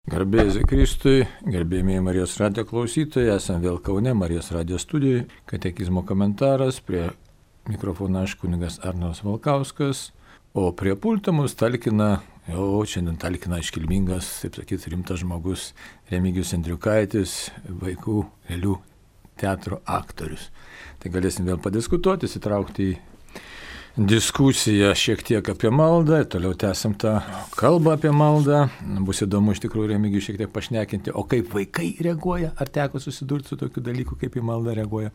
Garbė Jėzui Kristui, gerbėjai Marijos radijo klausytojai, esame vėl Kaune, Marijos radijo studijoje, katekizmo komentaras, prie mikrofono aš kunigas Arnoldas Valkauskas, o prie pulto mus talkina, šiandien talkina iškilmingas, taip sakyti, rimtas žmogus Remigijus Andriukaitis, vaikų lėlių teatro aktorius. Tai galėsim vėl padiskutuoti, įsitraukti į diskusiją šiek tiek apie maldą, toliau tęsim tą kalbą apie maldą. Bus įdomu iš tikrųjų Remigijų šiek tiek pašnekinti, o kaip vaikai reaguoja, ar teko susidurti su tokiu dalyku, kaip į maldą reaguoja.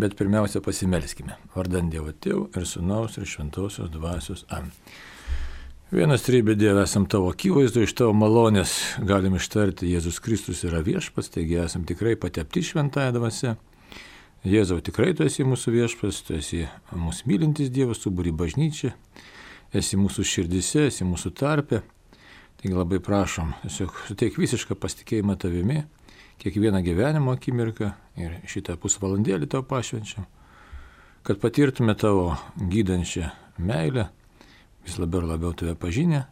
Bet pirmiausia pasimelskime. Vardan Dievo Tėvo ir Sūnaus ir Šventosios Dvasios. Amen. Vienas trybė Dieve, esam tavo akivaizdu, iš tavo malonės galim ištarti, Jėzus Kristus yra viešpats, taigi esam tikrai patepti šventąją dvasią. Jėzau, tikrai tu esi mūsų viešpats, tu esi mūsų mylintis Dievas, tu būri bažnyčia, esi mūsų širdise, esi mūsų tarpe. Taigi labai prašom, tiesiog suteik visišką pasitikėjimą tavimi, kiekvieną gyvenimo akimirką ir šitą pusvalandėlį tau pašvenčiam, kad patirtume tavo gydančią meilę, vis labiau ir labiau tave pažinę,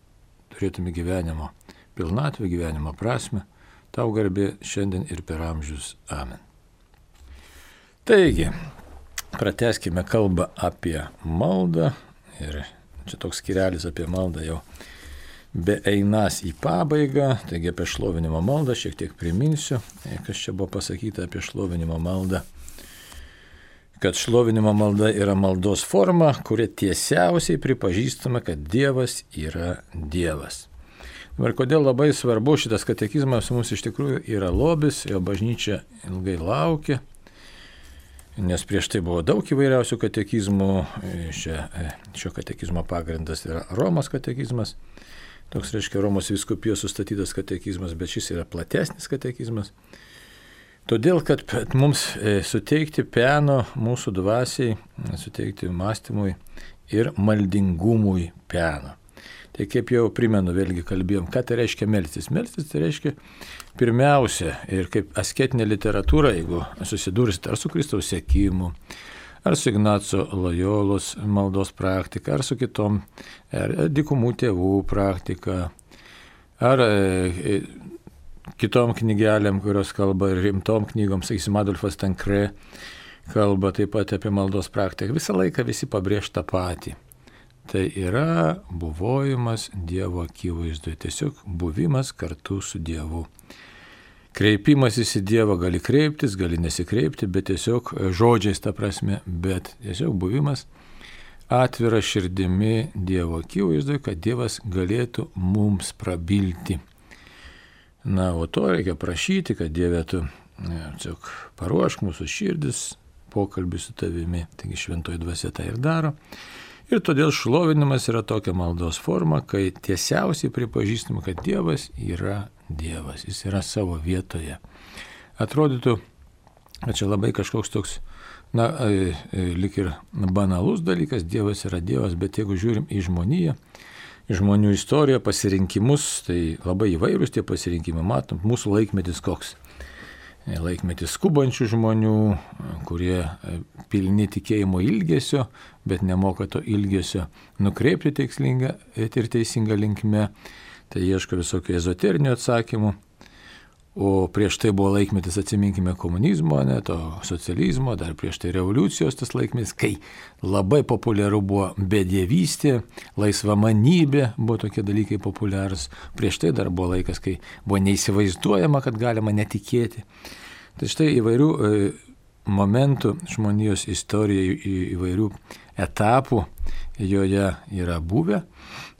turėtume gyvenimo pilnatvę, gyvenimo prasmę, tau garbė šiandien ir per amžius. Amen. Taigi, pratęskime kalbą apie maldą ir čia toks skyrelis apie maldą jau beeinas į pabaigą, taigi apie šlovinimo maldą šiek tiek priminsiu, kas čia buvo pasakyta apie šlovinimo maldą, kad šlovinimo malda yra maldos forma, kuria tiesiausiai pripažįstama, kad Dievas yra Dievas. Ir kodėl labai svarbu šitas katekizmas mums iš tikrųjų yra lobis, jo bažnyčia ilgai laukia. Nes prieš tai buvo daug įvairiausių katekizmų, šio katekizmo pagrindas yra Romos katekizmas, toks reiškia Romos vyskupijos sustatytas katekizmas, bet šis yra platesnis katekizmas. Todėl, kad mums suteikti peno mūsų dvasiai, suteikti mąstymui ir maldingumui peno. Tai kaip jau primenu, vėlgi kalbėjom, ką tai reiškia melstis. Melstis tai reiškia pirmiausia ir kaip asketinė literatūra, jeigu susidursit ar su Kristaus sekimu, ar su Ignaco Lojolos maldos praktika, ar su kitom dykumų tėvų praktika, ar kitom knygelėm, kurios kalba rimtom knygom, sakysim, Adolfas Tankre kalba taip pat apie maldos praktiką. Visą laiką visi pabrėž tą patį. Tai yra buvojimas Dievo akivaizdoje, tiesiog buvimas kartu su Dievu. Kreipimasis į Dievą gali kreiptis, gali nesikreipti, bet tiesiog žodžiais ta prasme, bet tiesiog buvimas atvira širdimi Dievo akivaizdoje, kad Dievas galėtų mums prabilti. Na, o to reikia prašyti, kad Dieve tu tiesiog paruošk mūsų širdis, pokalbį su tavimi, taigi šventoji dvasia tai ir daro. Ir todėl šlovinimas yra tokia maldos forma, kai tiesiausiai pripažįstama, kad Dievas yra Dievas, jis yra savo vietoje. Atrodytų, kad čia labai kažkoks toks, lyg ir banalus dalykas, Dievas yra Dievas, bet jeigu žiūrim į žmoniją, į žmonių istoriją, pasirinkimus, tai labai įvairūs tie pasirinkimai, matom, mūsų laikmetis koks. Laikmetis skubančių žmonių, kurie pilni tikėjimo ilgesio, bet nemoka to ilgesio nukreipti tikslingą ir teisingą linkme, tai ieško visokių ezoterinių atsakymų. O prieš tai buvo laikmetis, atsiminkime, komunizmo, to socializmo, dar prieš tai revoliucijos tas laikmetis, kai labai populiaru buvo bedievystė, laisvamanybė, buvo tokie dalykai populiarūs. Prieš tai dar buvo laikas, kai buvo neįsivaizduojama, kad galima netikėti. Tai štai įvairių momentų žmonijos istorijoje, įvairių etapų joje yra buvę.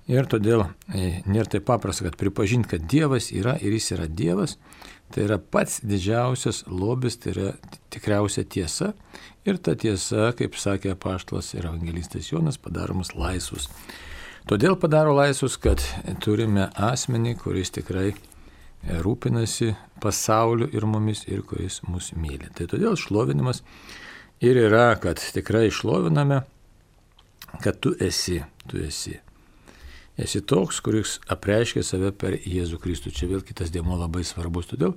Ir todėl nėra taip paprasta, kad pripažinti, kad Dievas yra ir jis yra Dievas, tai yra pats didžiausias lobis, tai yra tikriausia tiesa. Ir ta tiesa, kaip sakė apaštalas ir evangelistas Jonas, padaro mus laisvus. Todėl padaro laisvus, kad turime asmenį, kuris tikrai rūpinasi pasauliu ir mumis ir kuris mus myli. Tai todėl šlovinimas ir yra, kad tikrai šloviname, kad tu esi. Esi toks, kuris apreiškia save per Jėzų Kristų. Čia vėl kitas dėmuo labai svarbus. Todėl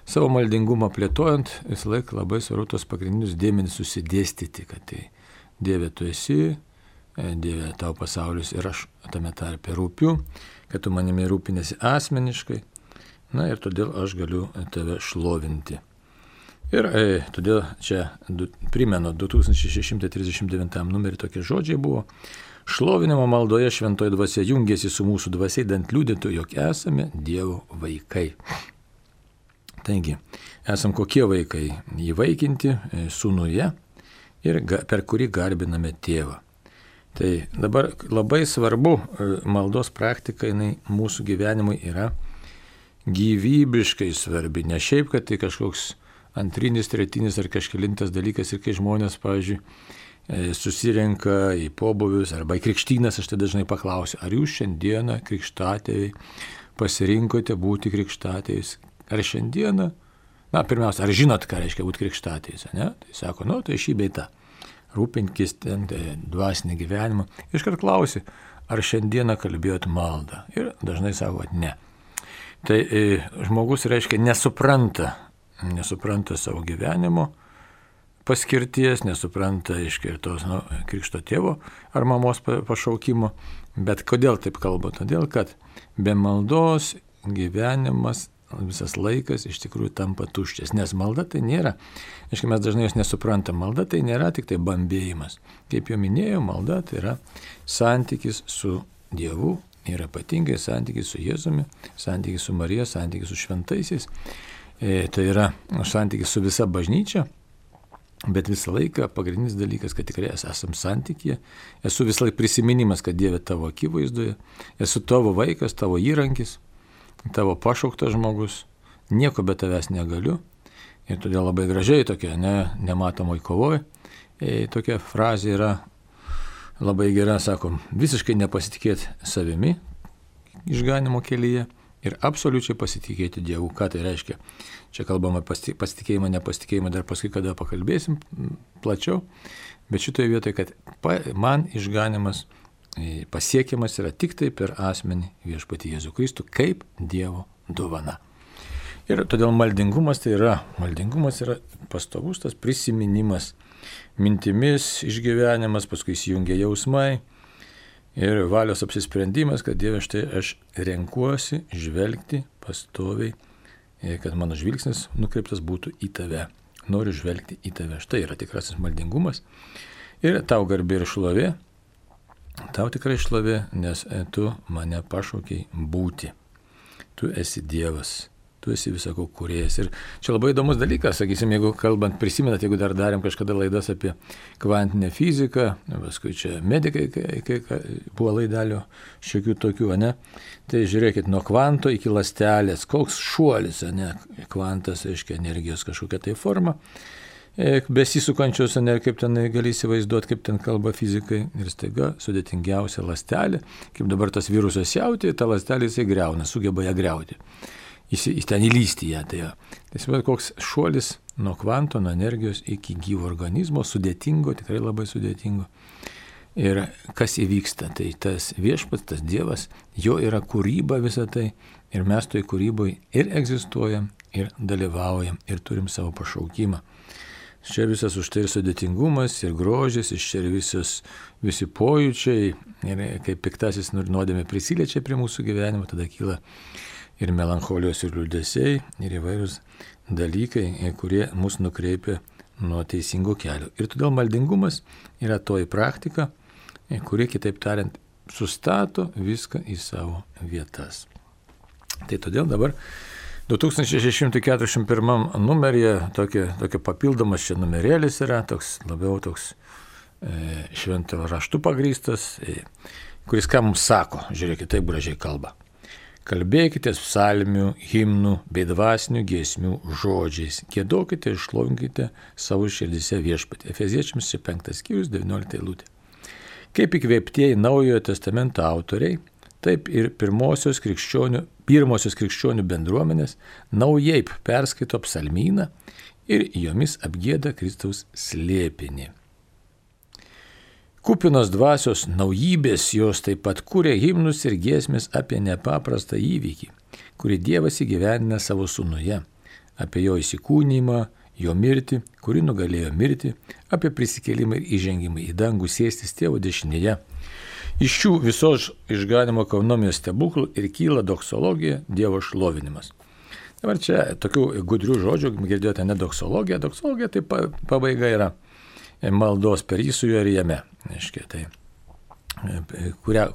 savo maldingumą plėtojant visą laiką labai svarbu tos pagrindinius dėmenis susidėstyti, kad tai Dieve tu esi, Dieve tau pasaulis ir aš tame tarpe rūpiu, kad tu manimi rūpinėsi asmeniškai. Na ir todėl aš galiu tave šlovinti. Ir todėl čia primenu 2639 numerį tokie žodžiai buvo. Šlovinimo maldoje šventoji dvasia jungiasi su mūsų dvasia, idant liudytų, jog esame Dievo vaikai. Taigi, esam kokie vaikai? Įvaikinti sūnuje ir per kurį garbiname tėvą. Tai dabar labai svarbu, maldos praktika jinai mūsų gyvenimui yra gyvybiškai svarbi. Ne šiaip, kad tai kažkoks antrinis, tretinis ar kažkelintas dalykas ir kai žmonės, pavyzdžiui, susirenka į pobūvius arba į krikštynas, aš tai dažnai paklausiu, ar jūs šiandieną krikštatėviai pasirinkote būti krikštatėviais? Ar šiandieną, pirmiausia, ar žinot, ką reiškia būti krikštatėviais, ne? Tai sako, tai šį bei tą, rūpinkis ten dvasinį gyvenimą. Iškart klausi, ar šiandieną kalbėjot maldą? Ir dažnai sako, ne. Tai žmogus, reiškia, nesupranta savo gyvenimo paskirties, nesupranta ir tos krikšto tėvo ar mamos pašaukimo. Bet kodėl taip kalba? Todėl, kad be maldos gyvenimas, visas laikas iš tikrųjų tampa tuščias. Nes malda tai nėra, mes dažnai jos nesuprantam, malda tai nėra tik tai bambėjimas. Kaip jau minėjau, malda tai yra santykis su Dievu ir ypatingai santykis su Jėzumi, santykis su Marija, santykis su šventaisiais. Tai yra santykis su visa bažnyčia. Bet visą laiką pagrindinis dalykas, kad tikrai esam santykyje, esu visą laiką prisiminimas, kad Dieve tavo akivaizdoje, esu tavo vaikas, tavo įrankis, tavo pašauktas žmogus, nieko be tavęs negaliu. Ir todėl labai gražiai tokia nematomoj kovoj, tokia frazė yra labai gera, sakom, visiškai nepasitikėti savimi išganimo kelyje ir absoliučiai pasitikėti Dievu. Ką tai reiškia? Čia kalbama pasitikėjimą, nepasitikėjimą, dar paskui kada pakalbėsim plačiau. Bet šitoje vietoje, kad man išganimas pasiekiamas yra tik tai per asmenį Viešpatį Jėzų Kristų kaip Dievo dovana. Ir todėl maldingumas yra pastovus tas prisiminimas, mintimis išgyvenimas, paskui įsijungia jausmai ir valios apsisprendimas, kad Dieve, štai aš renkuosi žvelgti pastoviai, kad mano žvilgsnis nukreiptas būtų į tave. Noriu žvelgti į tave. Štai yra tikrasis maldingumas. Ir tau garbė ir šlovė, tau tikrai šlovė, nes tu mane pašaukei būti. Tu esi Dievas. Tu esi visako kūrėjas. Ir čia labai įdomus dalykas, sakysim, jeigu kalbant, prisimenat, jeigu dar darėm kažkada laidas apie kvantinę fiziką, paskui čia medikai, kai buvo laidelių šiokių tokių, ne? Tai žiūrėkit, nuo kvanto iki ląstelės, koks šuolis, ne? Kvantas, reiškia, energijos kažkokia tai forma, besisukančios, ne, kaip ten gali įsivaizduoti, kaip ten kalba fizikai, ir staiga sudėtingiausia ląstelė, kaip dabar tas virusas jauti, ta ląstelė jisai greuna, sugeba ją greuti. Jis ten įlysti ją. Tai koks šuolis nuo kvanto, nuo energijos iki gyvo organizmo, sudėtingo, tikrai labai sudėtingo. Ir kas įvyksta, tai tas Viešpats, tas Dievas, jo yra kūryba visą tai ir mes toj kūryboje ir egzistuojam, ir dalyvaujam, ir turim savo pašaukimą. Čia visas už tai ir sudėtingumas, ir grožis, iš čia ir visi pojūčiai, ir kaip piktasis nuodėmė prisiliečia prie mūsų gyvenimo, tada kyla ir melancholijos, ir liūdesiai, ir įvairūs dalykai, kurie mus nukreipia nuo teisingo kelio. Ir todėl maldingumas yra toji praktika, kuri, kitaip tariant, sustato viską į savo vietas. Tai todėl dabar 2641 numeryje tokia papildomas čia numerėlis yra, labiau toks švento raštu pagrįstas, kuris ką mums sako, žiūrėkit, taip gražiai kalba. Kalbėkite psalmių, himnų bei dvasinių giesmių žodžiais. Giedokite ir šlovinkite savo širdise Viešpatį. Efeziečiams 5 skyrius 19 eilutė. Kaip įkvėptieji Naujojo testamento autoriai, taip ir pirmosios krikščionių bendruomenės naujai perskaito psalmyną ir jomis apgieda Kristaus slėpinį. Kupinos dvasios naujybės jos taip pat kūrė himnus ir giesmės apie nepaprastą įvykį, kurį Dievas įgyvendina savo sūnuje, apie jo įsikūnymą, jo mirtį, kuri nugalėjo mirtį, apie prisikėlimą ir įžengimą į dangų sėstis Tėvo dešinėje. Iš šių visos išganimo ekonomijos stebuklų ir kyla doksologija, Dievo šlovinimas. Dabar čia tokių gudrių žodžių, girdėjote, ne doksologija. Doksologija tai pabaiga yra maldos per jį, su juo ir jame. Tai, kurią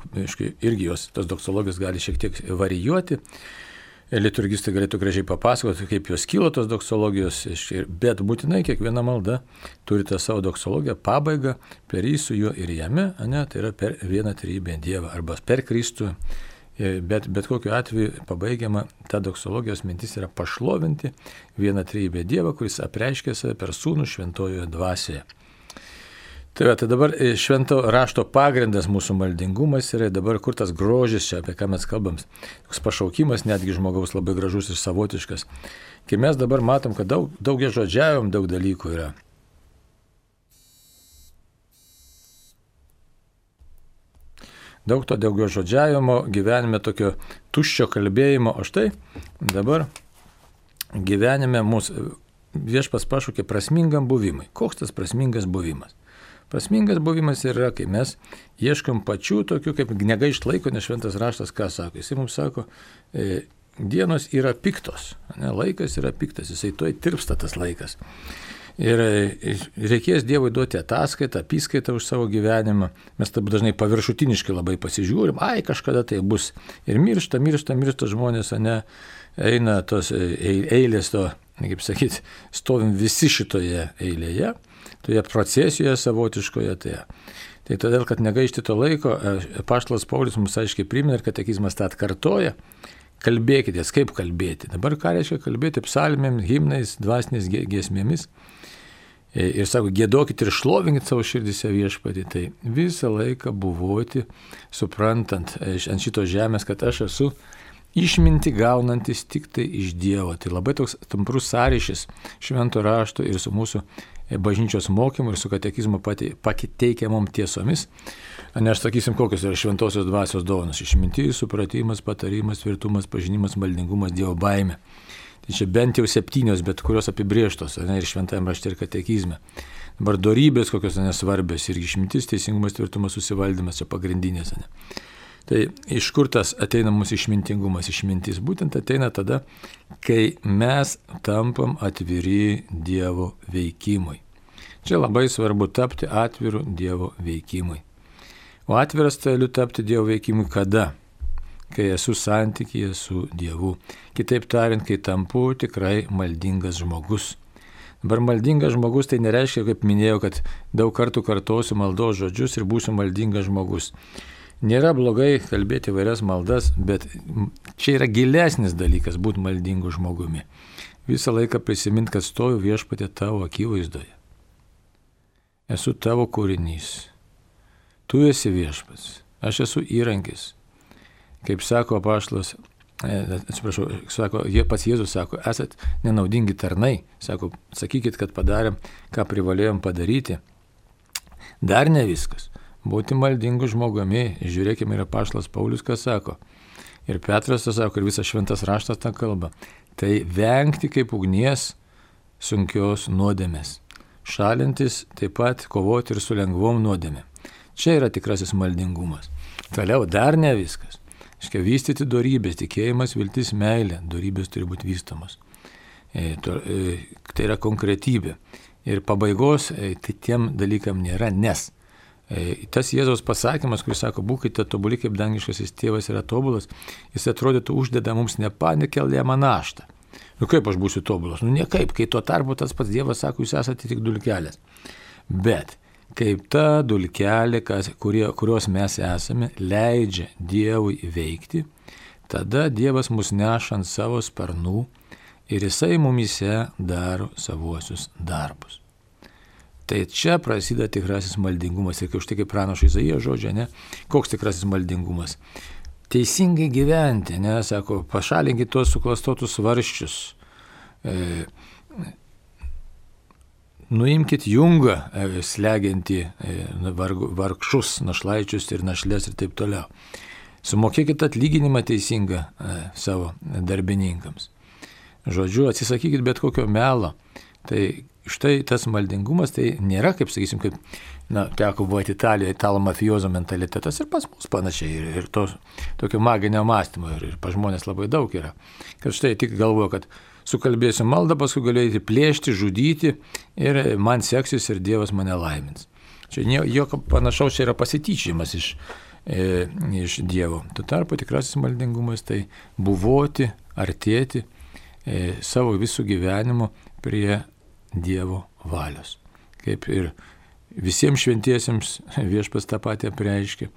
irgi jos, tos doksologijos gali šiek tiek varijuoti. Liturgistai galėtų gražiai papasakoti, kaip jos kilo tos doksologijos, bet būtinai kiekviena malda turi tą savo doksologiją, pabaigą per jį, su juo ir jame, tai yra per vieną trejybę Dievą arba per Kristų. Bet kokiu atveju pabaigiama ta doksologijos mintis yra pašlovinti vieną trejybę Dievą, kuris apreiškia save per Sūnų šventojoje dvasioje. Tai dabar švento rašto pagrindas mūsų maldingumas yra dabar kur tas grožis čia, apie ką mes kalbam. Toks pašaukimas netgi žmogaus labai gražus ir savotiškas. Kai mes dabar matom, kad daug žodžiavim, daug dalykų yra. Daug to daugiau žodžiavimo, gyvenime tokio tuščio kalbėjimo, o štai dabar gyvenime mūsų viešpats pašaukė prasmingam buvimui. Koks tas prasmingas buvimas? Prasmingas buvimas yra, kai mes ieškom pačių tokių, kaip negaišt laiko, nes šventas raštas ką sako. Jisai mums sako, dienos yra piktos, laikas yra piktas, jisai toj tirpsta tas laikas. Ir reikės Dievui duoti ataskaitą, apyskaitą už savo gyvenimą. Mes taip dažnai paviršutiniškai labai pasižiūrim, kažkada tai bus. Ir miršta žmonės, eina tos eilės, kaip sakyti, stovim visi šitoje eilėje. Toje procesijoje savotiškoje. Tai todėl, kad negaišti to laiko, apaštalas Paulius mums aiškiai primena ir katekizmas tą atkartoja. Kalbėkitės, kaip kalbėti. Dabar ką reiškia kalbėti psalmėm, himnais, dvasinės giesmėmis. Ir sako, giedokit ir šlovinkit savo širdise Viešpatį. Tai visą laiką buvoti, suprantant ant šitos žemės, kad aš esu išminti gaunantis tik tai iš Dievo. Tai labai toks tamprus sąryšis švento rašto ir su mūsų bažnyčios mokymu ir su katekizmo pateikiamom tiesomis. Aš sakysim, kokios yra šventosios dvasios dovanos. Išmintis, supratimas, patarimas, tvirtumas, pažinimas, maldingumas, Dievo baimė. Tai čia bent jau 7, bet kurios apibrėžtos, ir šventajame rašte ir katekizme. Dabar dorybės kokios nesvarbios ir išmintis, teisingumas, tvirtumas, susivaldymas, čia pagrindinės. Tai iš kur tas ateina mūsų išmintingumas, išmintis? Būtent ateina tada, kai mes tampam atviri Dievo veikimui. Čia labai svarbu tapti atviru Dievo veikimui. O atviras galiu tapti Dievo veikimui kada? Kai esu santykyje su Dievu. Kitaip tariant, kai tampu tikrai maldingas žmogus. Dabar maldingas žmogus tai nereiškia, kaip minėjau, kad daug kartų kartosiu maldos žodžius ir būsiu maldingas žmogus. Nėra blogai kalbėti vairias maldas, bet čia yra gilesnis dalykas būti maldingu žmogumi. Visą laiką prisimint, kad stoju Viešpatie tavo akivaizdoje. Esu tavo kūrinys. Tu esi Viešpats. Aš esu įrankis. Kaip sako apaštalas, pats Jėzus sako, esat nenaudingi tarnai. Sako, sakykit, kad padarėm, ką privalėjom padaryti. Dar ne viskas. Būti maldingu žmogumi, žiūrėkime ir apaštalas Paulius, ką sako. Ir Petras tą sako, ir visas šventas raštas tą kalba. Tai vengti kaip ugnies sunkios nuodėmės. Šalintis taip pat kovoti ir su lengvom nuodėmėm. Čia yra tikrasis maldingumas. Toliau dar ne viskas. Vystyti dorybės, tikėjimas, viltis, meilė. Dorybės turi būti vystomos. Tai yra konkretybė. Ir pabaigos tai tiem dalykam nėra, nes tas Jėzaus pasakymas, kuris sako, būkite tobuli, kaip dangiškasis tėvas yra tobulas, jis atrodytų uždeda mums nepanekelėjamą naštą. Kaip aš būsiu tobulas? Niekaip, kai tuo tarpu tas pats Dievas sako, jūs esate tik dulkelės. Bet kaip ta dulkelė, kurios mes esame, leidžia Dievui veikti, tada Dievas mus neša ant savo sparnų ir jisai mumise daro savuosius darbus. Tai čia prasideda tikrasis maldingumas. Ir už tai kaip pranašo Izaijo žodžia, koks tikrasis maldingumas? Teisingai gyventi, sako, pašalinkit tuos suklastotus svarščius. Nuimkit jungą, slegiantį vargšus, našlaičius ir našlės ir taip toliau. Sumokėkit atlyginimą teisingą savo darbininkams. Žodžiu, atsisakykit bet kokio melo. Tai štai tas maldingumas tai nėra, kaip sakysim, kaip, teko buvoti Italijoje, italo mafiozo mentalitetas ir pas mus panašiai, ir to tokio maginio mąstymo, ir pas žmonės labai daug yra. Kad štai tik galvoju, kad sukalbėsiu maldą, paskui galėsiu plėšti, žudyti ir man seksis ir Dievas mane laimins. Čia jokio panašaus čia yra pasityčiamas iš Dievo. Tuo tarpu tikrasis maldingumas tai buvoti, artėti savo visų gyvenimu prie Dievo valios. Kaip ir visiems šventiesiems Viešpats tą patį apreiškė.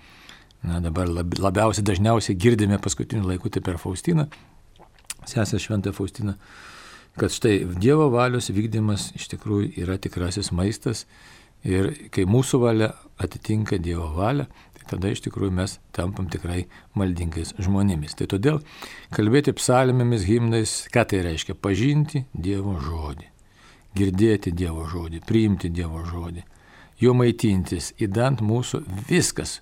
Dabar labiausiai dažniausiai girdime paskutiniu laiku tai per Faustiną, sesę Šventąją Faustiną, kad štai Dievo valios vykdymas iš tikrųjų yra tikrasis maistas ir kai mūsų valia atitinka Dievo valią, tai tada iš tikrųjų mes tampam tikrai maldingais žmonėmis. Tai todėl kalbėti psalmėmis, himnais, ką tai reiškia? Pažinti Dievo žodį, girdėti Dievo žodį, priimti Dievo žodį, jo maitintis, įdant mūsų viskas.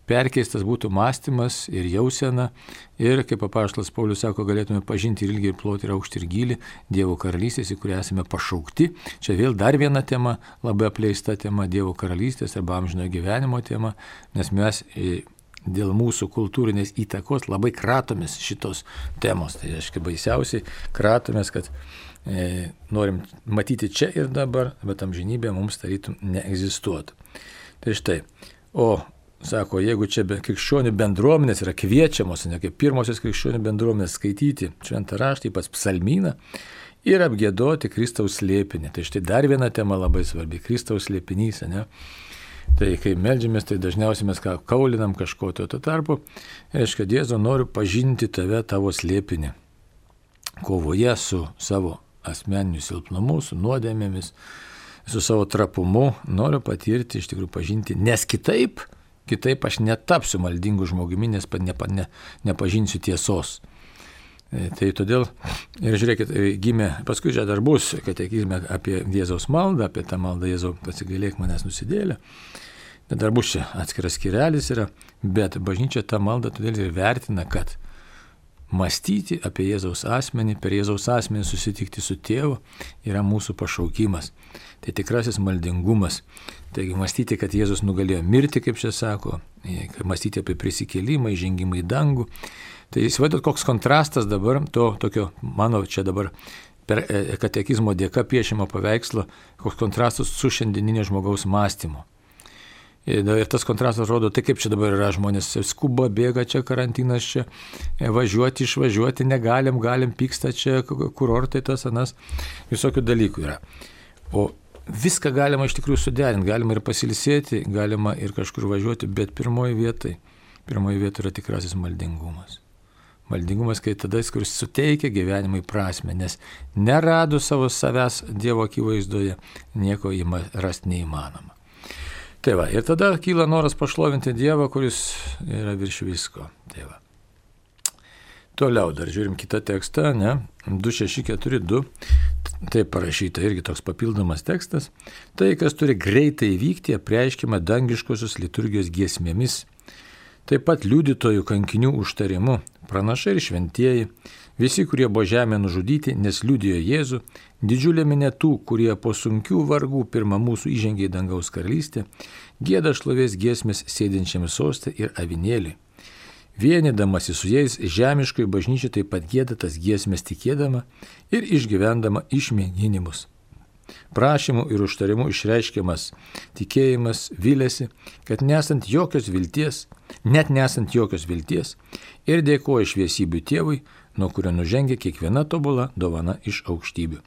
Perkeistas būtų mąstymas ir jausena ir, kaip apaštalas Paulius sako, galėtume pažinti ir ilgį, ir plotį, ir aukštį, ir gylį Dievo karalystės, į kurią esame pašaukti. Čia vėl dar viena tema, labai apleista tema, Dievo karalystės arba amžinojo gyvenimo tema, nes mes dėl mūsų kultūrinės įtakos labai kratomės šitos temos. Tai reiškia baisiausiai kratomės, kad norim matyti čia ir dabar, bet amžinybė mums tarytum neegzistuotų. Tai štai, sako, jeigu čia krikščionių bendruomenės yra kviečiamos, ne kaip pirmosios krikščionių bendruomenės skaityti šventą raštą, ypač psalmyną ir apgiedoti Kristaus slėpinį. Tai štai dar viena tema labai svarbi, Kristaus slėpinys, ne? Tai kai meldžiamės, tai dažniausiai mes kaulinam kažko, tuo tarpu, reiškia, Jėzau, noriu pažinti tave, tavo slėpinį, kovoje su savo asmeniniu silpnumu, su nuodėmėmis, su savo trapumu, noriu patirti, iš tikrųjų pažinti, nes kitaip aš netapsiu maldingu žmogumi, nes nepažinsiu tiesos. Tai todėl, ir žiūrėkit, gimė, paskui čia dar bus katekizme apie Jėzaus maldą, apie tą maldą Jėzau pasigailėk manęs nusidėlę. Bet dar bus čia atskiras skyrelis yra, bet bažnyčia tą maldą todėl ir vertina, kad mąstyti apie Jėzaus asmenį, per Jėzaus asmenį susitikti su tėvu yra mūsų pašaukimas. Tai tikrasis maldingumas. Taigi mąstyti, kad Jėzus nugalėjo mirti, kaip čia sako, mąstyti apie prisikėlimą, įžengimą į dangų. Tai įsivaizduot, koks kontrastas dabar to tokio, mano čia dabar per katekizmo dėka piešimo paveikslo, koks kontrastas su šiandieninio žmogaus mąstymu. Ir tas kontrastas rodo, tai kaip čia dabar yra žmonės, skuba, bėga čia, karantinas čia, važiuoti, išvažiuoti negalim, pyksta čia, kurortai tas, anas, visokių dalykų yra. O viską galima iš tikrųjų suderinti, galima ir pasilsėti, galima ir kažkur važiuoti, bet pirmoji vieta yra tikrasis maldingumas. Maldingumas, kai tada, kuris suteikia gyvenimui prasmę, nes neradus savo savęs Dievo akivaizdoje, nieko rasti neįmanoma. Tai va, ir tada kyla noras pašlovinti Dievą, kuris yra virš visko. Tai va. Toliau dar žiūrim kitą tekstą, 2642, taip parašyta, irgi toks papildomas tekstas. Tai, kas turi greitai vykti, apreiškiama dangiškosios liturgijos giesmėmis. Taip pat liudytojų kankinių užtarimu, pranašai ir šventieji, visi, kurie buvo žemė nužudyti, nes liudijo Jėzų, didžiulė minė tų, kurie po sunkių vargų pirmą mūsų įžengė į dangaus karalystę, gieda šlovės giesmės sėdinčiam soste ir avinėliui. Vienydamasi su jais žemiškoji bažnyčia taip pat gieda tas giesmės tikėdama ir išgyvendama išmėginimus. Prašymų ir užtarimų išreiškiamas tikėjimas viliasi, kad nesant jokios vilties, ir dėkoja šviesybių tėvui, nuo kurio nužengia kiekviena tobula dovana iš aukštybių.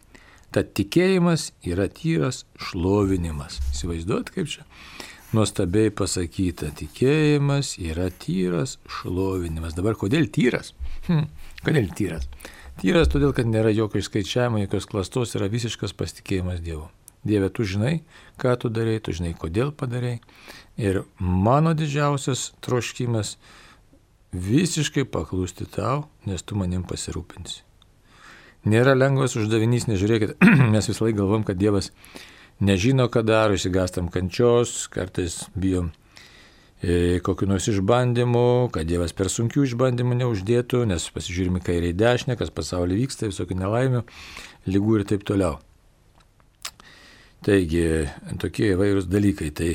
Tad tikėjimas yra tyras šlovinimas. Įsivaizduot, kaip čia nuostabiai pasakyta. Tikėjimas yra tyras šlovinimas. Dabar kodėl tyras? Kodėl tyras? Tyras todėl, kad nėra jokio išskaičiavimo, jokios klastos, yra visiškas pasitikėjimas Dievu. Dieve, tu žinai, ką tu darei, tu žinai, kodėl padarei. Ir mano didžiausias troškimas visiškai paklūsti tau, nes tu manim pasirūpinsi. Nėra lengvas uždavinys, nežiūrėkit, mes visą laiką galvom, kad Dievas nežino, ką daro, išsigastam kančios, kartais bijom kokiu nors išbandymu, kad Dievas per sunkių išbandymų neuždėtų, nes pasižiūrime kairė į dešinę, kas pasaulyje vyksta, visokių nelaimių, lygų ir taip toliau. Taigi, tokie įvairūs dalykai. Tai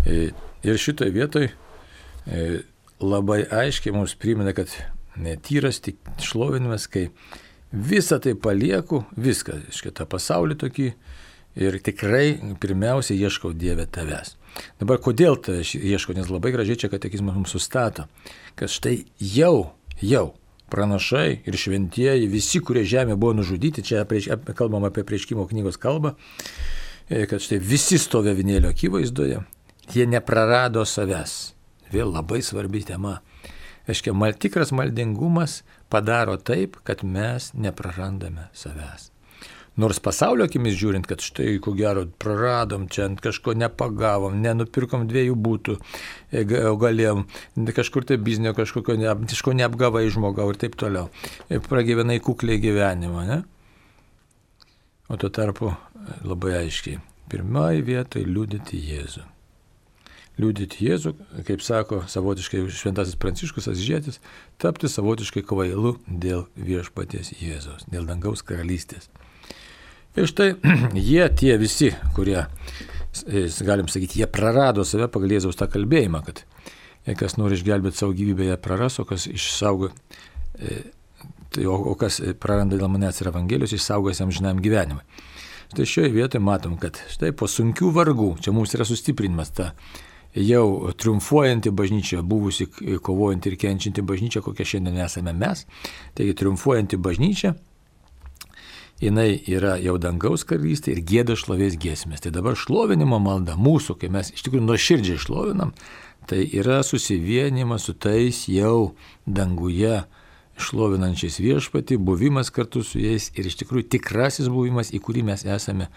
ir šitoje vietoje labai aiškiai mums primena, kad tyras tik šlovinimas, kai visą tai palieku, viską, šitą pasaulį tokį, ir tikrai pirmiausia ieškau Dieve tavęs. Dabar kodėl tai ieškau, nes labai gražiai čia katekizmas mums sustato, kad štai jau pranašai ir šventieji, visi, kurie žemė buvo nužudyti, čia kalbam apie Apreiškimo knygos kalbą, kad štai visi stovi avinėlio akivaizdoje, jie neprarado savęs. Vėl labai svarbi tema. Aiškia, tikras maldingumas padaro taip, kad mes neprarandame savęs. Nors pasaulio akimis žiūrint, kad štai, ko gero, praradom čia, kažko nepagavom, nenupirkom 2 būtų, galėjom kažkur tai biznio, kažko neapgavai žmogau ir taip toliau. Pragyvenai kukliai gyvenimą, ne? O tuo tarpu labai aiškiai. Pirmoji vietoje liudyti Jėzų. Liudyti Jėzų, kaip sako savotiškai šventasis Pranciškus Asyžietis, tapti savotiškai kvailu dėl viešpaties Jėzaus, dėl dangaus karalystės. Ir štai jie tie visi, kurie, galim sakyti, jie prarado save pagal Jėzaus tą kalbėjimą, kad kas nori išgelbėti savo gyvybę, jie praras, o kas išsaugo, o kas praranda dėl manęs ir Evangelijos, išsaugos jam amžinam gyvenimui. Štai šioje vietoje matom, kad štai po sunkių vargų, čia mums yra sustiprinimas ta jau triumfuojanti bažnyčia, buvusi kovojanti ir kenčianti bažnyčia, kokia šiandien esame mes, taigi triumfuojanti bažnyčia, jinai yra jau dangaus karalystė ir gieda šlovės giesmės. Tai dabar šlovinimo malda mūsų, kai mes iš tikrųjų nuoširdžiai šlovinam, tai yra susivienimas su tais jau danguje šlovinančiais viešpatį, buvimas kartu su jais ir iš tikrųjų tikrasis buvimas, į kurį mes esame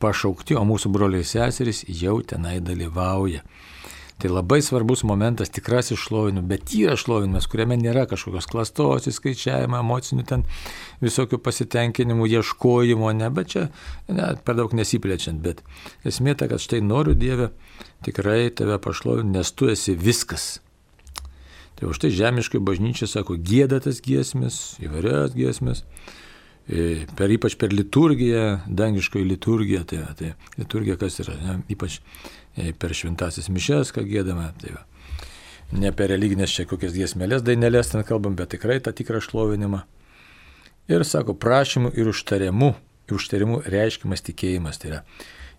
pašaukti, o mūsų broliai seserys jau tenai dalyvauja. Tai labai svarbus momentas tikrasis šlovinimas, bet tyras šlovinimas, kuriame nėra kažkokios klastos, įskaičiavimo, emocinių ten visokių pasitenkinimų, ieškojimo, ne, bet čia per daug nesiplečiant, bet esmė ta, kad štai noriu Dieve tikrai tave pašlovinti, nes tu esi viskas. Tai už tai žemiškai bažnyčia sako, gieda tas giesmės, įvairias giesmės, ypač per liturgiją, dangiškoji liturgija, tai liturgija kas yra, ne, ypač per šventasis mišes, ką giedame, tai va. Ne per religinės čia kokias giesmelės, dainelės ten kalbam, bet tikrai tą tikrą šlovinimą. Ir sako, prašymų ir užtarimu reiškiamas tikėjimas, tai yra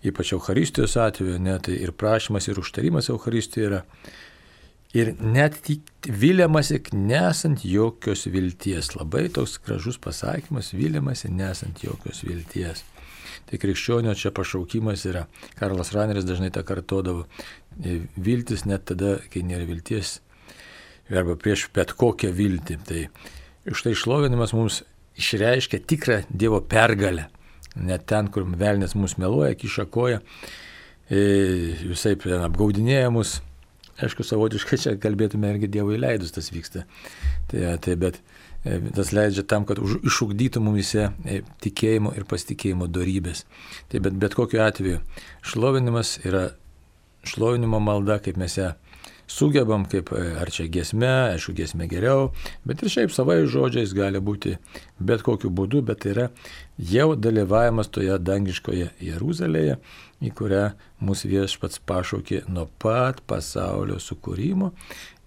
ypač Eucharistijos atveju, ne, tai ir prašymas ir užtarimas Eucharistijoje yra. Ir net viliamasi nesant jokios vilties. Labai toks gražus pasakymas, viliamasi nesant jokios vilties. Tai krikščionio čia pašaukimas yra. Karlas Raneris dažnai tą kartodavo. Viltis net tada, kai nėra vilties, arba prieš bet kokią viltį. Tai štai šlovinimas mums išreiškia tikrą Dievo pergalę. Net ten, kur velnės mus meluoja, kiša koją, visai apgaudinėja mus. Aišku, savotiškai čia kalbėtume irgi Dievui leidus tas vyksta. Bet tas leidžia tam, kad išugdytų mumise tikėjimo ir pasitikėjimo dorybės. Tai bet kokiu atveju šlovinimas yra šlovinimo malda, kaip mes ją sugebam, kaip ar čia giesme, aišku, giesme geriau, bet ir šiaip savai žodžiais gali būti bet kokiu būdu, bet tai yra jau dalyvavimas toje dangiškoje Jeruzalėje, į kurią mūsų viešpats pašaukė nuo pat pasaulio sukūrimo.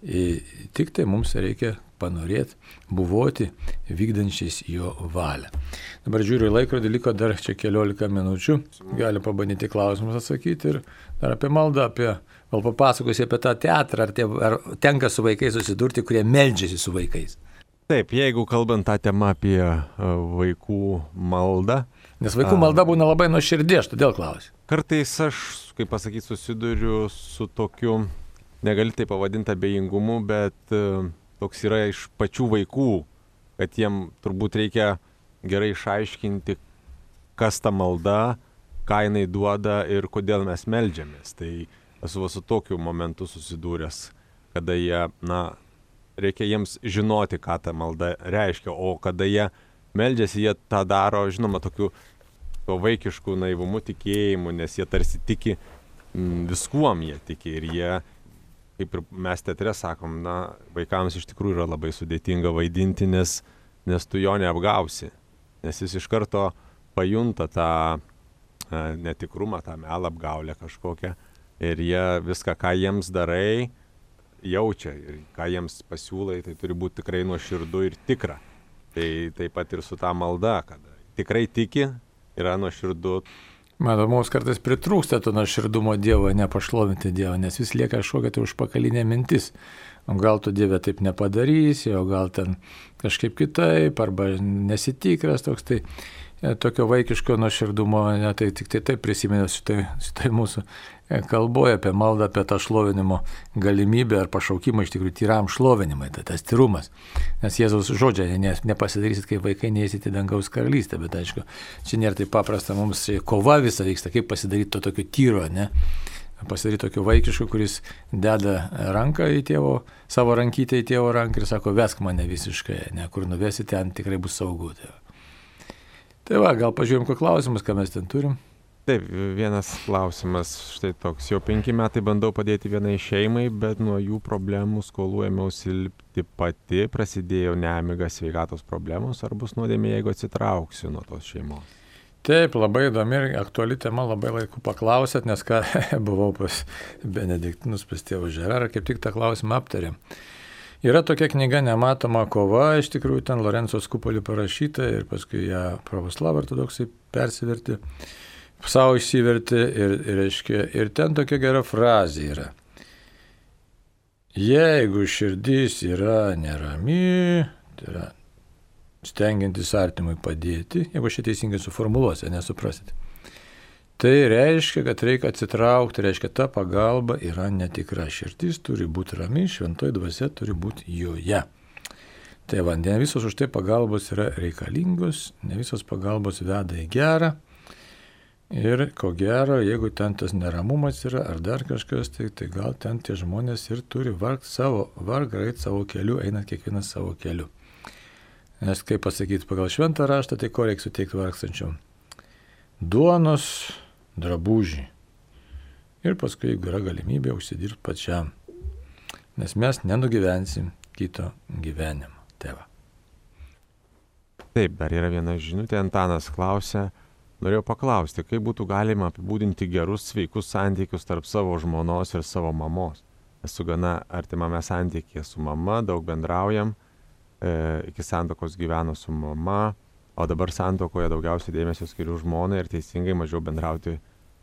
Tik tai mums reikia panorėti buvoti vykdančiais jo valią. Dabar žiūriu į laikrodį, liko dar čia 14 minučių. Gali pabandyti klausimus atsakyti ir dar apie maldą, gal papasakosi apie tą teatrą, ar tenka su vaikais susidurti, kurie meldžiasi su vaikais. Taip, jeigu kalbant tą temą apie vaikų maldą. Nes vaikų malda būna labai nuoširdė, aš todėl klausiu. Kartais aš, kaip pasakyti, susiduriu su tokiu, negali tai pavadinti abejingumu, bet toks yra iš pačių vaikų, kad jiem turbūt reikia gerai išaiškinti, kas ta malda, ką jinai duoda ir kodėl mes meldžiamės. Tai esu su tokiu momentu susidūręs, kada jie, reikia jiems žinoti, ką ta malda reiškia, o kada jie meldžiasi, jie tą daro, žinoma, tokiu vaikišku naivumu tikėjimu, nes jie tarsi tiki, viskuom jie tiki ir jie, kaip ir mes teatre sakom, vaikams iš tikrųjų yra labai sudėtinga vaidinti, nes tu jo neapgausi, nes jis iš karto pajunta tą netikrumą, tą melą, apgaulę kažkokią. Ir jie viską, ką jiems darai, jaučia. Ir ką jiems pasiūlai, tai turi būti tikrai nuoširdu ir tikra. Tai taip pat ir su ta malda, kad tikrai tiki, yra nuoširdu. Matau, mums kartais pritrūksta to nuoširdumo Dievo, nepašlovinti Dievo, nes vis lieka kažkokia tai užpakalinė mintis. O gal tu Dieve taip nepadarysi, o gal ten kažkaip kitaip, arba nesitikras toks, tai tokio vaikiško nuoširdumo, tai tik tai taip prisimenu šitai mūsų kalboje apie maldą, apie tą šlovinimo galimybę ar pašaukimą iš tikrųjų tyram šlovinimai, tai tas tyrumas. Nes Jėzaus žodžiai, nepasidarysit kaip vaikai, neįsit į dangaus karalystę, bet aišku, čia nėra taip paprasta, mums kova visa vyksta, kaip pasidaryti to tokio tyro, ne? Pasidaryti tokio vaikiško, kuris deda ranką į tėvo, savo rankytę į tėvo ranką ir sako, vesk mane visiškai, ne, kur nuvesi, ten tikrai bus saugu. Tai va, gal pažiūrėjom, ko klausimus, ką mes ten turim. Taip, vienas klausimas, štai toks, jau 5 metai bandau padėti vienai šeimai, bet nuo jų problemų skolų ėmiausi lipti pati, prasidėjo nemiga, sveikatos problemos, ar bus nuodėmė, jeigu atsitrauksiu nuo tos šeimos? Taip, labai įdomi ir aktuali tema, labai laiku paklausėt, nes ką buvau pas Benediktinus, pas tėvą Žerarą, kaip tik tą klausimą aptarėm. Yra tokia knyga Nematoma kova, iš tikrųjų ten Lorenzo Skupoli parašyta ir paskui ją pravoslavų ortodoksai persivertė, savo išsivertė ir ten tokia gera frazė yra. Jeigu širdis yra nerami, tai yra stengiantis artimui padėti, jeigu aš teisingai suformuluosiu, nesuprasite, tai reiškia, kad reikia atsitraukti, reiškia, ta pagalba yra netikra. Širdis turi būti rami, šventoji dvasia turi būti joje. Tai va, ne visos už tai pagalbos yra reikalingos, ne visos pagalbos veda į gerą. Ir ko gero, jeigu ten tas neramumas yra ar dar kažkas, tai gal ten tie žmonės ir turi vargą eiti savo keliu, einant kiekvienas savo keliu. Nes kaip pasakyti pagal šventą raštą, tai ko reikia suteikti vargstančiom? Duonos, drabužį. Ir paskui, jeigu yra galimybė, užsidirbti pačiam. Nes mes nenugyvensim kito gyvenimo. Tėva. Taip, dar yra viena žinutė. Antanas klausia, norėjau paklausti, kaip būtų galima apibūdinti gerus, sveikus santykius tarp savo žmonos ir savo mamos. Esu gana artimame santykyje su mama, daug bendraujam, iki santuokos gyveno su mama, o dabar santuokoje daugiausiai dėmesio skiriu žmonai ir teisingai mažiau bendrauti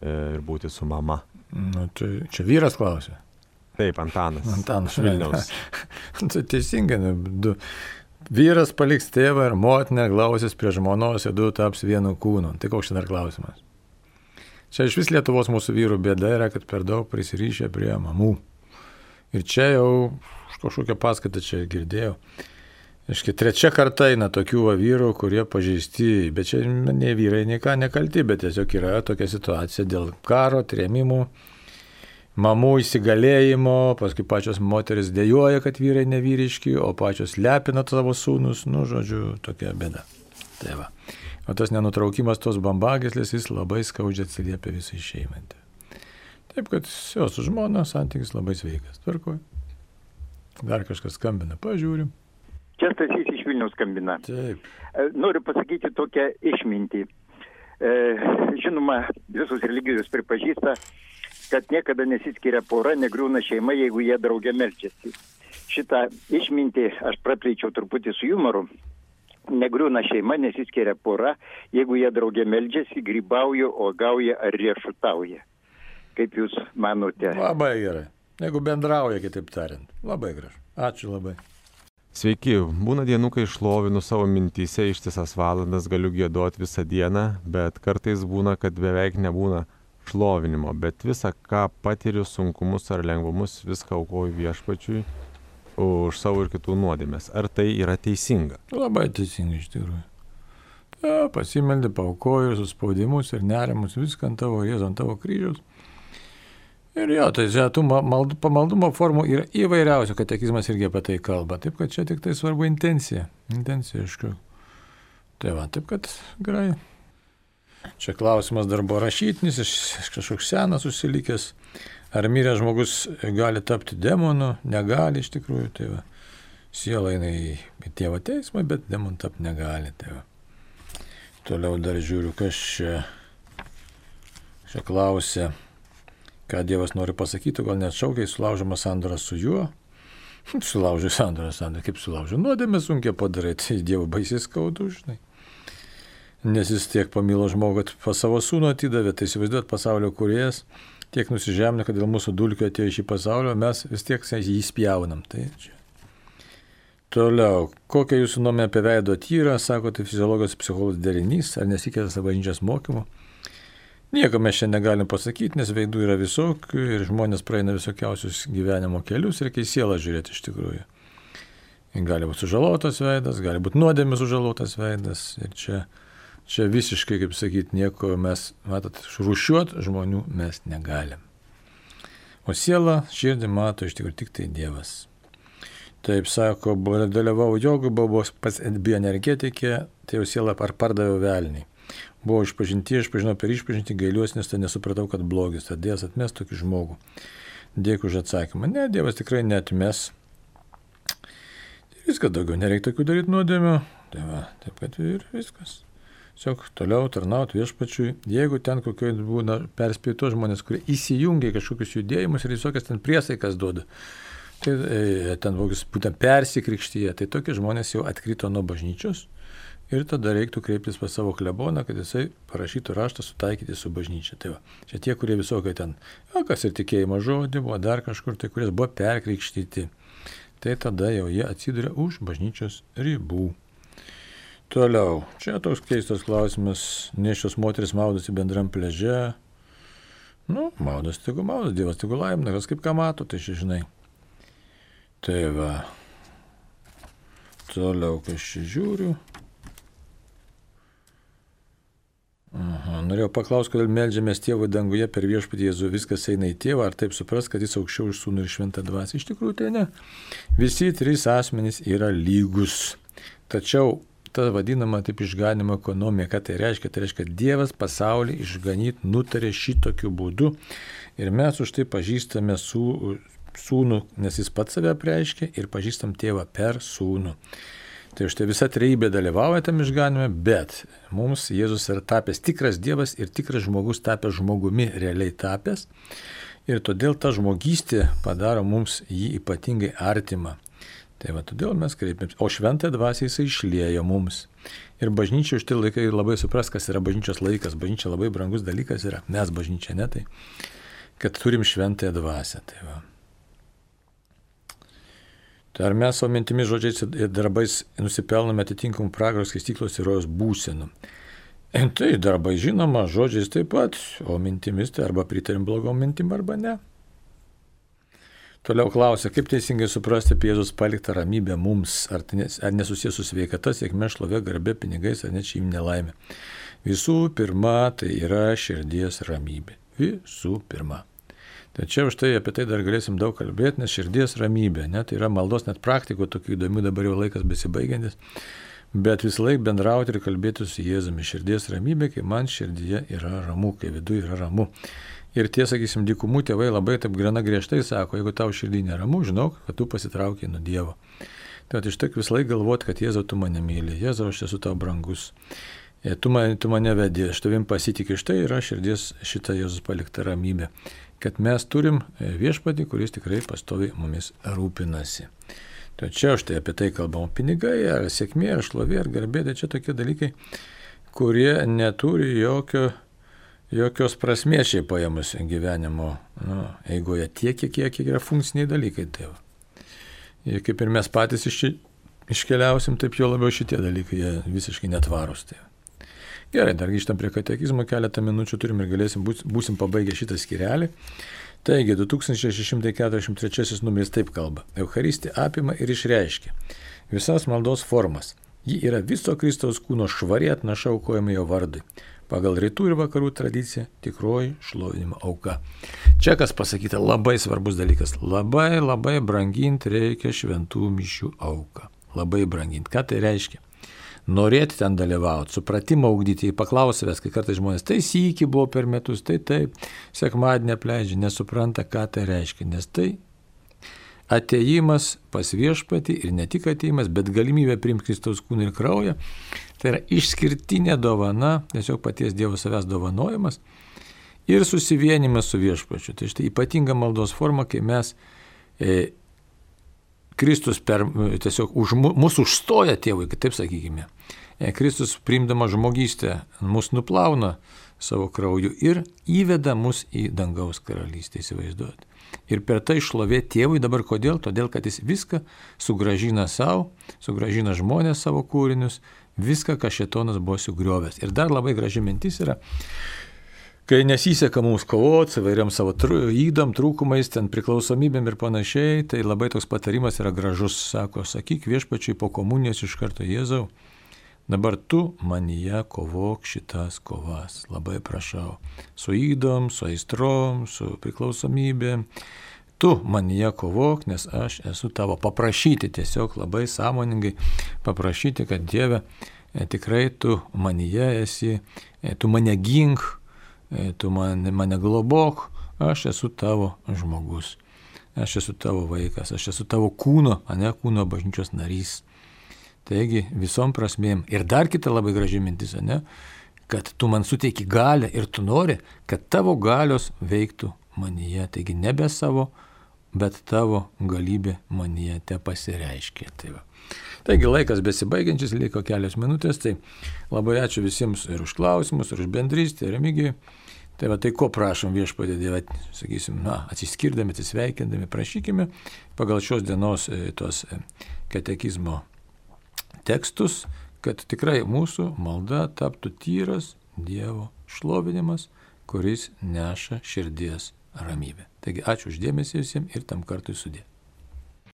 ir būti su mama. Nu, tai čia vyras klausia. Taip, Antanas. Antanas Vilniaus. Tai teisingai, vyras paliks tėvą ir motiną, glausis prie žmonos ir du taps vienu kūnu. Tai koks čia dar klausimas? Čia iš vis Lietuvos mūsų vyrų bėda yra, kad per daug prisirišę prie mamų. Ir čia jau kažkokią paskaitą čia girdėjau. Iški, 3 karta eina tokių vyrų, kurie pažeisti, bet čia ne vyrai nei ką nekalti, bet tiesiog yra tokia situacija dėl karo, trėmimų, mamų įsigalėjimo, paskui pačios moteris dejuoja, kad vyrai nevyriški, o pačios lepina savo sūnus, žodžiu, tokia bėda. Tai va. O tas nenutraukimas tos bambagyslės jis labai skaudžiai atsiliepia visai šeimai. Taip, kad jo su žmona santykis labai sveikas. Tvarkoj. Dar kažkas skambina, pažiūrim. Čia Stasys iš Vilniaus skambina. Taip. Noriu pasakyti tokią išmintį. Žinoma, visos religijos pripažįsta, kad niekada nesiskiria pora, negriūna šeima, jeigu jie drauge meldžiasi. Šitą išmintį aš praplėčiau truputį su humoru. Negriūna šeima, nesiskiria pora, jeigu jie drauge meldžiasi, grybauja, uogauja ar riešutauja. Kaip jūs manote? Labai gerai. Jeigu bendrauja, kitaip tariant. Labai gražu. Ačiū labai. Sveiki, būna dienų, kai šlovinu savo mintyse ištisas valandas, galiu giedoti visą dieną, bet kartais būna, kad beveik nebūna šlovinimo, bet visą, ką patiriu, sunkumus ar lengvumus, viską aukoju viešpačiui už savo ir kitų nuodėmės. Ar tai yra teisinga? Labai teisinga iš tikrųjų. Pasimeldė, paaukoju ir suspaudimus ir nerimus, viską ant tavo Jėzaus, ant tavo kryžiaus. Ir jo, tai tų pamaldumo formų yra įvairiausių, katekizmas irgi apie tai kalba. Taip, kad čia tik tai svarbu intencija. Intencija, aišku. Tai va, taip, kad gerai. Čia klausimas dar buvo rašytinis, kažkoks senas užsilikęs. Ar miręs žmogus gali tapti demonu? Negali iš tikrųjų. Tai va, siela eina į tėvo teismą, bet demonu tapti negali. Tai va. Toliau dar žiūriu, kas čia. Čia klausė, ką Dievas nori pasakyti, gal net šaukiai sulaužoma sandora su juo. Sulaužai sandorą, kaip sulaužai. Nuodėmę sunkiai padarai, tai Dievo baisiai skaudu, žinai. Nes jis tiek pamilo žmogų, kad pas savo sūnų atidavė, tai įsivaizduot pasaulio kūrėjas, tiek nusižemino, kad dėl mūsų dulkių atėjo iš į pasaulio, mes vis tiek jį spjaunam. Tai čia. Toliau, kokia jūsų nuomonė apie veido tyrą, sako, tai fiziologijos psichologijos derinys, ar nesikėtas bažnyčios mokymu? Nieko mes šiandien negalim pasakyti, nes veidų yra visokių ir žmonės praeina visokiausius gyvenimo kelius, reikia į sielą žiūrėti iš tikrųjų. Gali būti sužalotas veidas, gali būti nuodėmis sužalotas veidas ir čia visiškai, kaip sakyti, nieko mes, matot, rūšiuot žmonių mes negalim. O sielą, širdį mato iš tikrųjų tik tai Dievas. Taip sako, dalyvau jogų, buvau pas bioenergetikė, tai jau sielą pardaviau velniai. Buvau išpažinti, aš pažinau per išpažinti, gailiuosi, nes tai nesupratau, kad blogis. Tad Dievas atmes tokį žmogų. Dėkui už atsakymą. Ne, Dievas tikrai neatmes. Viskas daugiau, nereikia tokių daryti nuodėmių. Tai va, taip kad ir viskas. Tiesiog toliau tarnauti viešpačiui. Jeigu ten kokio būna perspėtos žmonės, kurie įsijungia kažkokius judėjimus ir visokias ten priesaikas duoda, tai ten būtent persikrikštyje, tai tokie žmonės jau atkrito nuo bažnyčios. Ir tada reiktų kreiptis pas savo kleboną, kad jisai parašytų raštą sutaikyti su bažnyčia. Tai va, čia tie, kurie visokai ten, kas ir tikėjimo žodį buvo, dar kažkur, tai kurie buvo perkrikštyti. Tai tada jau jie atsiduria už bažnyčios ribų. Toliau, čia toks keistas klausimas, nėščios moteris maudosi bendram pliaže. Maudos, Dievas tegu laimina, kas kaip ką mato, tai žinai. Tai va, toliau, kas čia žiūriu. Norėjau paklausti, kodėl meldžiamės Tėvui danguje per viešpatį Jėzų, viskas eina į Tėvą, ar taip supras, kad jis aukščiau už Sūnų ir Šventą Dvasią? Iš tikrųjų tai ne. Visi trys asmenys yra lygus. Tačiau ta vadinama taip išganimo ekonomija, ką tai reiškia? Tai reiškia, kad Dievas pasaulį išganyti nutarė šitokiu būdu ir mes už tai pažįstame Sūnų, nes jis pats save apreiškia ir pažįstam Tėvą per Sūnų. Tai štai visa trejybė dalyvauja tam išganime, bet mums Jėzus yra tapęs tikras Dievas ir tikras žmogus tapęs žmogumi, realiai tapęs. Ir todėl ta žmogystė padaro mums jį ypatingai artimą. Tai va, todėl mes kreipiamės. O Šventąją Dvasią jisai išliejo mums. Ir bažnyčia už tai laikai labai supras, kas yra bažnyčios laikas. Bažnyčia labai brangus dalykas yra. Mes bažnyčia, ne tai. Kad turim Šventąją Dvasią. Tai va. Ar mes savo mintimis, žodžiais ir darbais nusipelnome atitinkamų pragaro skaistyklos ir rojos būsenų? Tai darbai žinoma, žodžiais taip pat, o mintimis tai arba pritarim blogom mintim, arba ne. Toliau klausia, kaip teisingai suprasti apie Jėzus paliktą ramybę mums, ar nesusijęs su sveikata, sėkme, šlovė, garbė, pinigais, ar net šeiminė laimė. Visų pirma, tai yra širdies ramybė. Visų pirma. Tačiau štai apie tai dar galėsim daug kalbėti, nes širdies ramybė, ne, tai yra maldos net praktikų, tokių įdomių, dabar jau laikas besibaigiantis, bet vis laik bendrauti ir kalbėti su Jėzumi. Širdies ramybė, kai man širdyje yra ramu, kai viduje yra ramu. Ir tie, sakysim, dykumų tėvai labai taip gana griežtai sako, jeigu tau širdį neramu, žinok, kad tu pasitraukiai nuo Dievo. Tai iš tiek vis laik galvoti, kad Jėzau, tu mane myli, Jėzau, aš esu tau brangus. Tu mane vedi, aš tavim pasitikiu, štai yra širdies šita Jėzus palikta ramybė. Kad mes turim viešpatį, kuris tikrai pastoviai mumis rūpinasi. Tačiau štai apie tai kalbam, pinigai, ar sėkmė, ar šlovė, ar garbė, tai čia tokie dalykai, kurie neturi jokios prasmės šiai paėmus gyvenimo eigoje, tiek, kiek yra funkciniai dalykai. Tai ir kaip ir mes patys iškeliausim, taip jo labiau šitie dalykai jie visiškai netvarūs. Tai. Gerai, dar grįžtam prie katekizmo, keletą minučių turim ir būsim pabaigę šitą skyrelį. Taigi, 2643 numeris taip kalba. Eucharistija apima ir išreiškia visas maldos formas. Ji yra viso Kristaus kūno švari atnaša aukojama jo vardui. Pagal rytų ir vakarų tradiciją tikroji šlovinimo auka. Čia kas pasakyta, labai svarbus dalykas. Labai branginti reikia šventų mišių auką. Labai branginti. Ką tai reiškia? Norėti ten dalyvauti, supratimą ugdyti, paklausęs, kai kartais žmonės, tai sykį buvo per metus, tai taip, sekmadienį apleidžia, nesupranta, ką tai reiškia, nes tai atėjimas pas viešpatį ir ne tik atėjimas, bet galimybė priimti Kristaus kūną ir kraują, tai yra išskirtinė dovana, tiesiog paties Dievo savęs dovanojimas ir susivienimas su viešpačiu. Tai štai ypatinga maldos forma, kai mes Kristus tiesiog mūsų užstoja tėvui, taip sakykime. Kristus priimdama žmogystę mus nuplauna savo krauju ir įveda mus į dangaus karalystę, įsivaizduoti. Ir per tai šlovė tėvui dabar kodėl? Todėl, kad jis viską sugražina savo, sugražina žmonės savo kūrinius, viską, ką šėtonas buvo sugriovęs. Ir dar labai graži mintis yra, kai nesiseka mums kovoti, įvairiam savo ydam, trūkumais, ten priklausomybėm ir panašiai, tai labai toks patarimas yra gražus. Sako, sakyk viešpačiui po komunijos iš karto: Jėzau, dabar tu manyje kovok šitas kovas. Labai prašau. Su ydom, su aistrom, su priklausomybėm. Tu manyje kovok, nes aš esu tavo. Paprašyti tiesiog labai sąmoningai, paprašyti, kad Dieve, tikrai tu manyje esi, tu mane gink, tu mane globok, aš esu tavo žmogus, aš esu tavo vaikas, aš esu tavo kūno, kūno bažnyčios narys. Taigi visom prasmėm. Ir dar kita labai graži mintis, kad tu man suteiki galią ir tu nori, kad tavo galios veiktų manyje. Taigi nebe savo, bet tavo galybė manyje te pasireiškia. Taigi laikas besibaigiančias, liko kelios minutės, tai labai ačiū visiems ir už klausimus, ir už bendrystę, ir Remigijui. Tai ko prašom viešpatie Dieve, sakysim, atsiskirdami, atsisveikindami, prašykime pagal šios dienos tos katekizmo tekstus, kad tikrai mūsų malda taptų tyras Dievo šlovinimas, kuris neša širdies ramybę. Taigi ačiū už dėmesį visiems ir tam kartui sudie.